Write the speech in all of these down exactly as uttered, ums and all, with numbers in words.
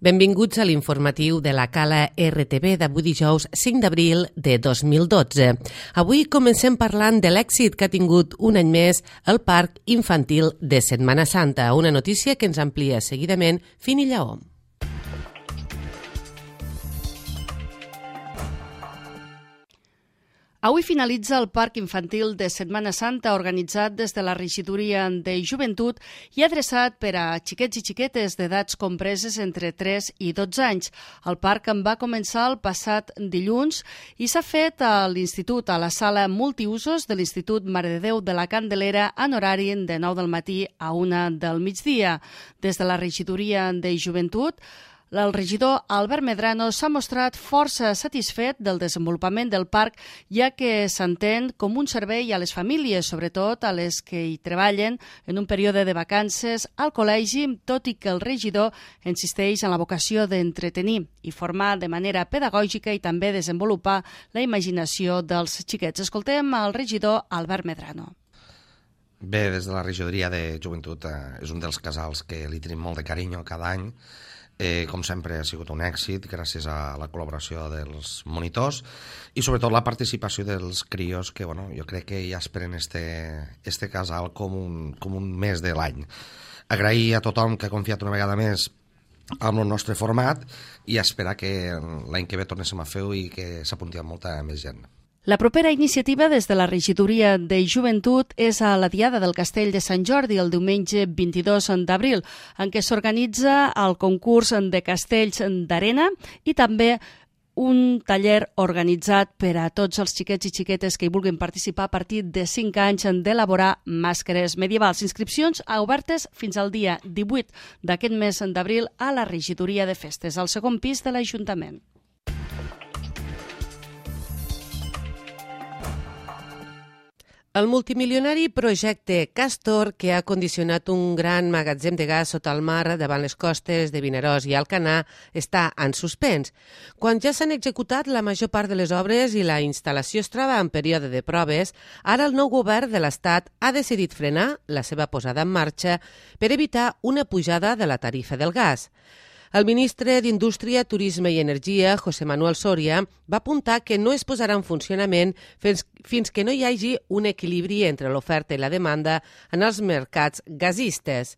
Benvinguts a l'informatiu de la Cala R T V d'avui dijous cinc d'abril de dos mil dotze. Avui comencem parlant de l'èxit que ha tingut un any més el Parc Infantil de Setmana Santa, una notícia que ens amplia seguidament Fini Lleó. Avui finalitza el Parc Infantil de Setmana Santa organitzat des de la Regidoria de Joventut i adreçat per a xiquets i xiquetes d'edats compreses entre tres i dotze anys. El parc en va començar el passat dilluns i s'ha fet a l'Institut, a la sala multiusos de l'Institut Mare de Déu de la Candelera en horari de nou del matí a una del migdia. Des de la Regidoria de Joventut, el regidor Albert Medrano s'ha mostrat força satisfet del desenvolupament del parc, ja que s'entén com un servei a les famílies, sobretot a les que hi treballen en un període de vacances al col·legi, tot i que el regidor insisteix en la vocació d'entretenir i formar de manera pedagògica i també desenvolupar la imaginació dels xiquets. Escoltem el regidor Albert Medrano. Bé, des de la regidoria de Joventut eh, és un dels casals que li tenim molt de carinyo cada any. Eh, com sempre ha sigut un èxit gràcies a la col·laboració dels monitors i sobretot la participació dels crios que bueno, jo crec que ja esperen este, este casal com un, com un mes de l'any. Agrair a tothom que ha confiat una vegada més amb el nostre format i esperar que l'any que ve tornéssim a fer-ho i que s'apunti a molta més gent. La propera iniciativa des de la Regidoria de Joventut és a la Diada del Castell de Sant Jordi, el diumenge vint-i-dos d'abril, en què s'organitza el concurs de castells d'arena i també un taller organitzat per a tots els xiquets i xiquetes que hi vulguin participar a partir de cinc anys d'elaborar màscares medievals. Inscripcions obertes fins al dia divuit d'aquest mes d'abril a la Regidoria de Festes, al segon pis de l'Ajuntament. El multimilionari projecte Castor, que ha condicionat un gran magatzem de gas sota el mar davant les costes de Vinaròs i Alcanar, està en suspens. Quan ja s'han executat la major part de les obres i la instal·lació es troba en període de proves, ara el nou govern de l'Estat ha decidit frenar la seva posada en marxa per evitar una pujada de la tarifa del gas. El ministre d'Indústria, Turisme i Energia, José Manuel Soria, va apuntar que no es posarà en funcionament fins, fins que no hi hagi un equilibri entre l'oferta i la demanda en els mercats gasistes.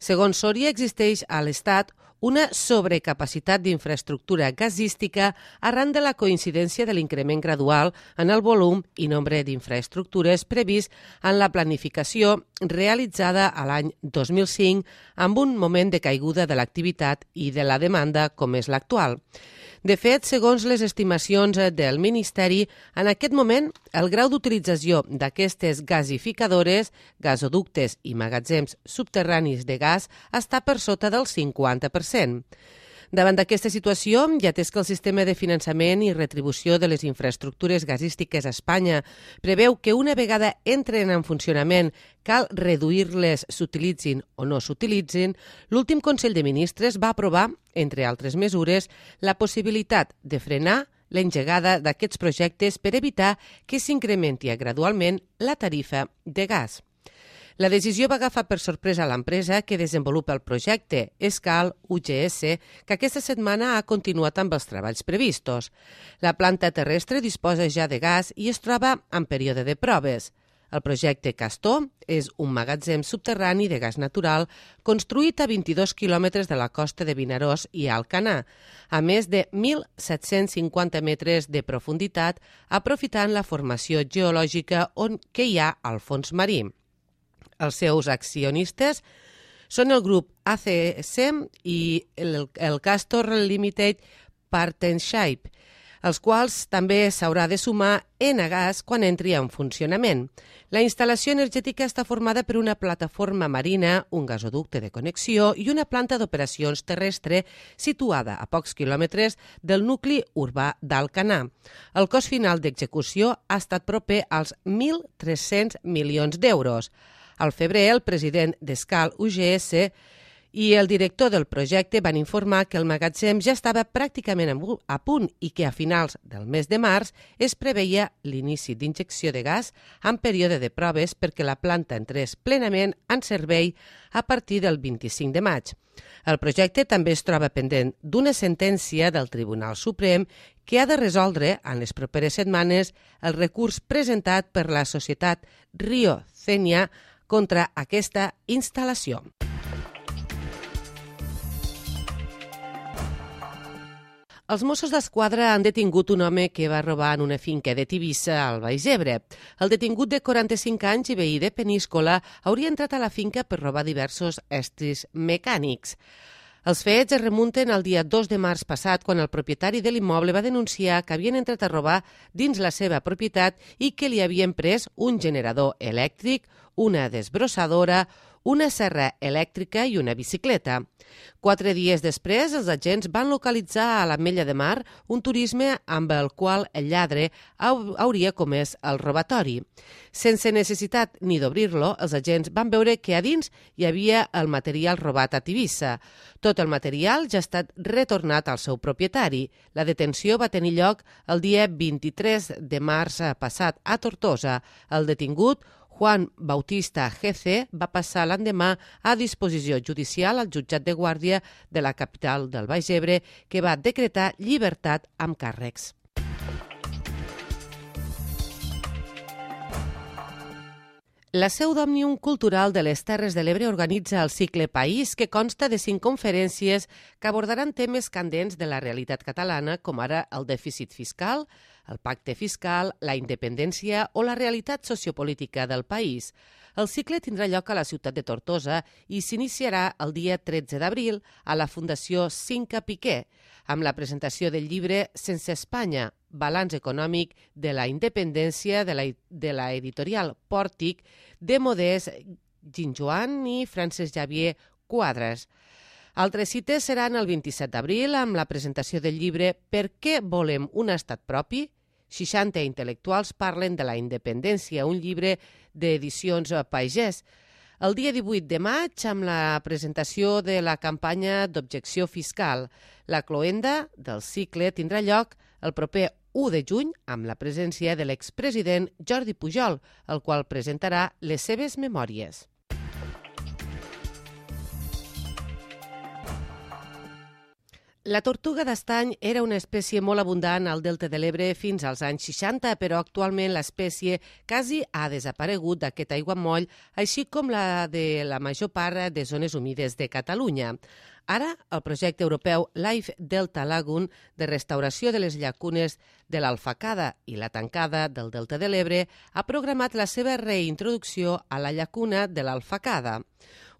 Segons Soria, existeix a l'Estat una sobrecapacitat d'infraestructura gasística arran de la coincidència de l'increment gradual en el volum i nombre d'infraestructures previst en la planificació realitzada a l'any dos mil cinc amb un moment de caiguda de l'activitat i de la demanda com és l'actual. De fet, segons les estimacions del Ministeri, en aquest moment el grau d'utilització d'aquestes gasificadores, gasoductes i magatzems subterranis de gas està per sota del cinquanta per cent. Davant d'aquesta situació, i atès que el sistema de finançament i retribució de les infraestructures gasístiques a Espanya preveu que una vegada entren en funcionament cal reduir-les s'utilitzin o no s'utilitzin, l'últim Consell de Ministres va aprovar, entre altres mesures, la possibilitat de frenar l'engegada d'aquests projectes per evitar que s'incrementi gradualment la tarifa de gas. La decisió va agafar per sorpresa l'empresa que desenvolupa el projecte, Escal U G S, que aquesta setmana ha continuat amb els treballs previstos. La planta terrestre disposa ja de gas i es troba en període de proves. El projecte Castor és un magatzem subterrani de gas natural construït a vint-i-dos quilòmetres de la costa de Vinaròs i Alcanar, a més de mil set-cents cinquanta metres de profunditat, aprofitant la formació geològica on que hi ha al fons marí. Els seus accionistes són el grup A C S i el, el Castor Limited Partnership, els quals també s'haurà de sumar Enagas quan entri en funcionament. La instal·lació energètica està formada per una plataforma marina, un gasoducte de connexió i una planta d'operacions terrestre situada a pocs quilòmetres del nucli urbà d'Alcanar. El cost final d'execució ha estat proper als mil tres-cents milions d'euros. Al febrer, el president d'Escal U G S i el director del projecte van informar que el magatzem ja estava pràcticament a punt i que a finals del mes de març es preveia l'inici d'injecció de gas en període de proves perquè la planta entrés plenament en servei a partir del vint-i-cinc de maig. El projecte també es troba pendent d'una sentència del Tribunal Suprem que ha de resoldre en les properes setmanes el recurs presentat per la societat Rio Cenia contra aquesta instal·lació. Els Mossos d'Esquadra han detingut un home que va robar en una finca de Tivissa, al Baix Ebre. El detingut de quaranta-cinc anys i veí de Peníscola hauria entrat a la finca per robar diversos estris mecànics. Els fets es remunten al dia dos de març passat, quan el propietari de l'immoble va denunciar que havien entrat a robar dins la seva propietat i que li havien pres un generador elèctric, una desbrossadora, una serra elèctrica i una bicicleta. Quatre dies després, els agents van localitzar a l'Ametlla de Mar un turisme amb el qual el lladre hauria comès el robatori. Sense necessitat ni d'obrir-lo, els agents van veure que a dins hi havia el material robat a Tivissa. Tot el material ja ha estat retornat al seu propietari. La detenció va tenir lloc el dia vint-i-tres de març passat a Tortosa. El detingut, Juan Bautista G C, va passar l'endemà a disposició judicial al jutjat de guàrdia de la capital del Baix Ebre, que va decretar llibertat amb càrrecs. La seu d'Òmnium Cultural de les Terres de l'Ebre organitza el cicle País, que consta de cinc conferències que abordaran temes candents de la realitat catalana, com ara el dèficit fiscal, el pacte fiscal, la independència o la realitat sociopolítica del país. El cicle tindrà lloc a la ciutat de Tortosa i s'iniciarà el dia tretze d'abril a la Fundació Cinca Piqué, amb la presentació del llibre Sense Espanya, balanç econòmic de la independència de la, de la editorial Pòrtic de Modest Ginjoan i Francesc Xavier Quadres. Altres cites seran el vint-i-set d'abril amb la presentació del llibre Per què volem un estat propi? seixanta intel·lectuals parlen de la independència, un llibre d'edicions Pagès. El dia divuit de maig, amb la presentació de la campanya d'objecció fiscal. La cloenda del cicle tindrà lloc el proper u de juny amb la presència de l'expresident Jordi Pujol, el qual presentarà les seves memòries. La tortuga d'estany era una espècie molt abundant al Delta de l'Ebre fins als anys seixanta, però actualment l'espècie quasi ha desaparegut d'aquest aiguamoll, així com la de la major part de zones humides de Catalunya. Ara, el projecte europeu Life Delta Lagoon, de restauració de les llacunes de l'Alfacada i la Tancada del Delta de l'Ebre, ha programat la seva reintroducció a la llacuna de l'Alfacada.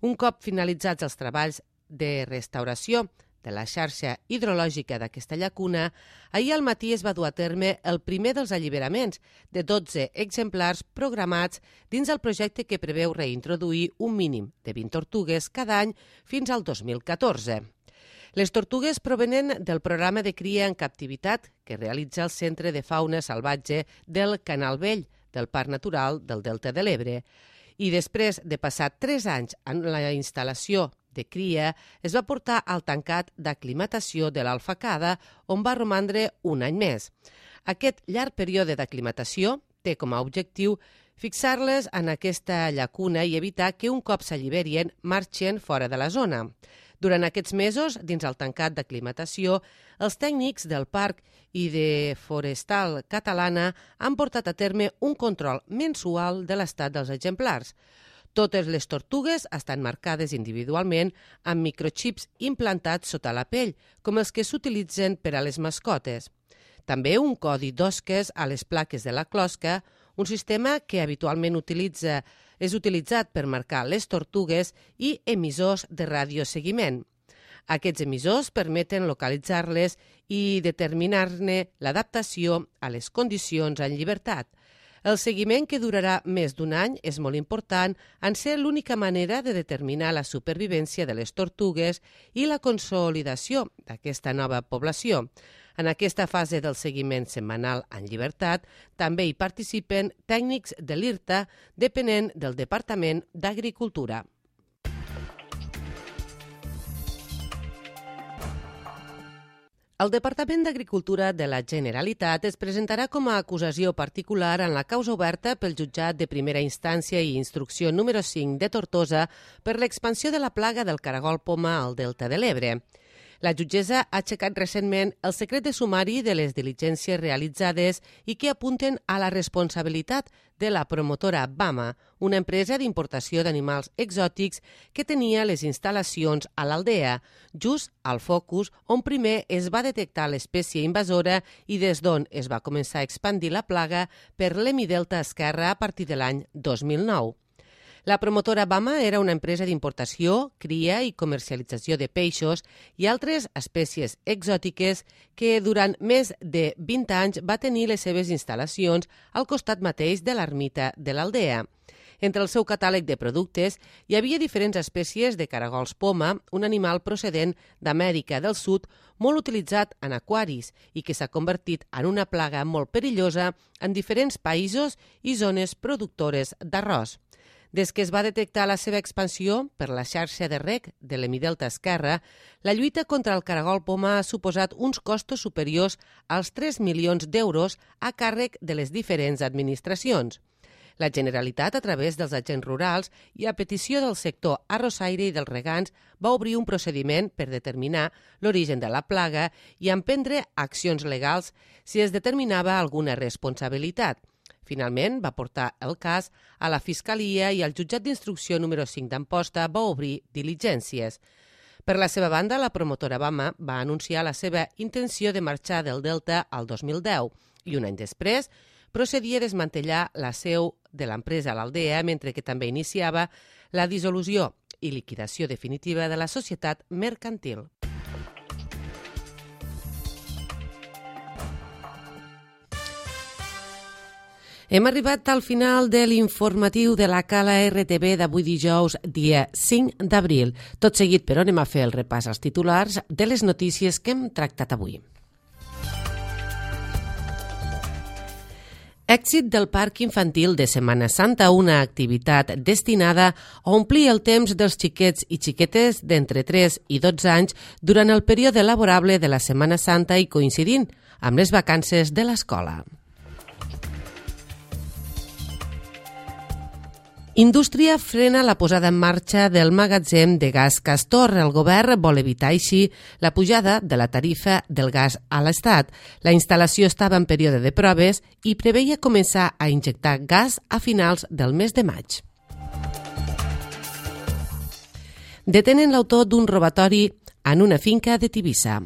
Un cop finalitzats els treballs de restauració de la xarxa hidrològica d'aquesta llacuna, ahir al matí es va dur a terme el primer dels alliberaments de dotze exemplars programats dins el projecte que preveu reintroduir un mínim de vint tortugues cada any fins al dos mil catorze. Les tortugues provenen del programa de cria en captivitat que realitza el Centre de Fauna Salvatge del Canal Vell del Parc Natural del Delta de l'Ebre. I després de passar tres anys en la instal·lació de cria, es va portar al tancat d'aclimatació de l'Alfacada, on va romandre un any més. Aquest llarg període d'aclimatació té com a objectiu fixar-les en aquesta llacuna i evitar que un cop s'alliberien marxen fora de la zona. Durant aquests mesos, dins el tancat d'aclimatació, els tècnics del Parc i de Forestal Catalana han portat a terme un control mensual de l'estat dels exemplars. Totes les tortugues estan marcades individualment amb microxips implantats sota la pell, com els que s'utilitzen per a les mascotes. També un codi d'osques a les plaques de la closca, un sistema que habitualment utilitza, és utilitzat per marcar les tortugues, i emissors de radioseguiment. Aquests emissors permeten localitzar-les i determinar-ne l'adaptació a les condicions en llibertat. El seguiment, que durarà més d'un any, és molt important en ser l'única manera de determinar la supervivència de les tortugues i la consolidació d'aquesta nova població. En aquesta fase del seguiment setmanal en llibertat també hi participen tècnics de l'I R T A, depenent del Departament d'Agricultura. El Departament d'Agricultura de la Generalitat es presentarà com a acusació particular en la causa oberta pel jutjat de primera instància i instrucció número cinc de Tortosa per l'expansió de la plaga del caragol poma al Delta de l'Ebre. La jutgessa ha aixecat recentment el secret de sumari de les diligències realitzades i que apunten a la responsabilitat de la promotora Bama, una empresa d'importació d'animals exòtics que tenia les instal·lacions a l'Aldea, just al focus on primer es va detectar l'espècie invasora i des d'on es va començar a expandir la plaga per l'hemidelta esquerre a partir de l'any dos mil nou. La promotora Bama era una empresa d'importació, cria i comercialització de peixos i altres espècies exòtiques que durant més de vint anys va tenir les seves instal·lacions al costat mateix de l'ermita de l'Aldea. Entre el seu catàleg de productes hi havia diferents espècies de caragols poma, un animal procedent d'Amèrica del Sud molt utilitzat en aquaris i que s'ha convertit en una plaga molt perillosa en diferents països i zones productores d'arròs. Des que es va detectar la seva expansió per la xarxa de reg de l'hemidelta esquerre, la lluita contra el caragol poma ha suposat uns costos superiors als tres milions d'euros a càrrec de les diferents administracions. La Generalitat, a través dels agents rurals i a petició del sector arrossaire i dels regants, va obrir un procediment per determinar l'origen de la plaga i emprendre accions legals si es determinava alguna responsabilitat. Finalment, va portar el cas a la Fiscalia i el jutjat d'instrucció número cinc d'Amposta va obrir diligències. Per la seva banda, la promotora Bama va anunciar la seva intenció de marxar del Delta al dos mil deu i un any després procedia a desmantellar la seu de l'empresa a l'Aldea, mentre que també iniciava la dissolució i liquidació definitiva de la societat mercantil. Hem arribat al final de l'informatiu de la Cala R T V d'avui dijous, dia cinc d'abril. Tot seguit, però, anem a fer el repàs als titulars de les notícies que hem tractat avui. Èxit del Parc Infantil de Setmana Santa, una activitat destinada a omplir el temps dels xiquets i xiquetes d'entre tres i dotze anys durant el període laborable de la Setmana Santa i coincidint amb les vacances de l'escola. Indústria frena la posada en marxa del magatzem de gas Castor. El govern vol evitar així la pujada de la tarifa del gas a l'Estat. La instal·lació estava en període de proves i preveia començar a injectar gas a finals del mes de maig. Detenen l'autor d'un robatori en una finca de Tivissa.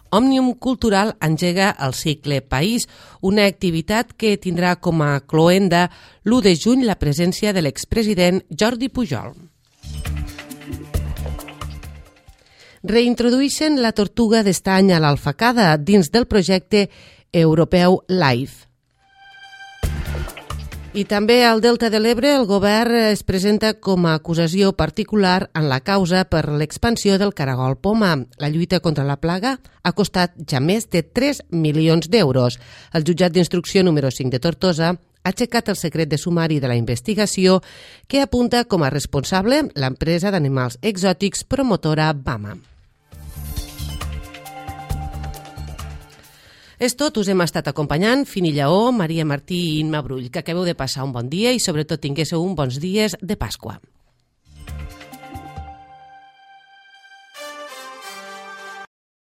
Òmnium Cultural engega el cicle País, una activitat que tindrà com a cloenda l'u de juny la presència de l'expresident Jordi Pujol. Reintrodueixen la tortuga d'estany a l'Alfacada dins del projecte europeu LIFE. I també al Delta de l'Ebre el govern es presenta com a acusació particular en la causa per l'expansió del caragol poma. La lluita contra la plaga ha costat ja més de tres milions d'euros. El jutjat d'instrucció número cinc de Tortosa ha aixecat el secret de sumari de la investigació que apunta com a responsable l'empresa d'animals exòtics promotora Bama. És tot, us hem estat acompanyant Fini Lleó, Maria Martí i Imma Brull. Que acabeu de passar un bon dia i sobretot tinguéssiu uns bons dies de Pasqua.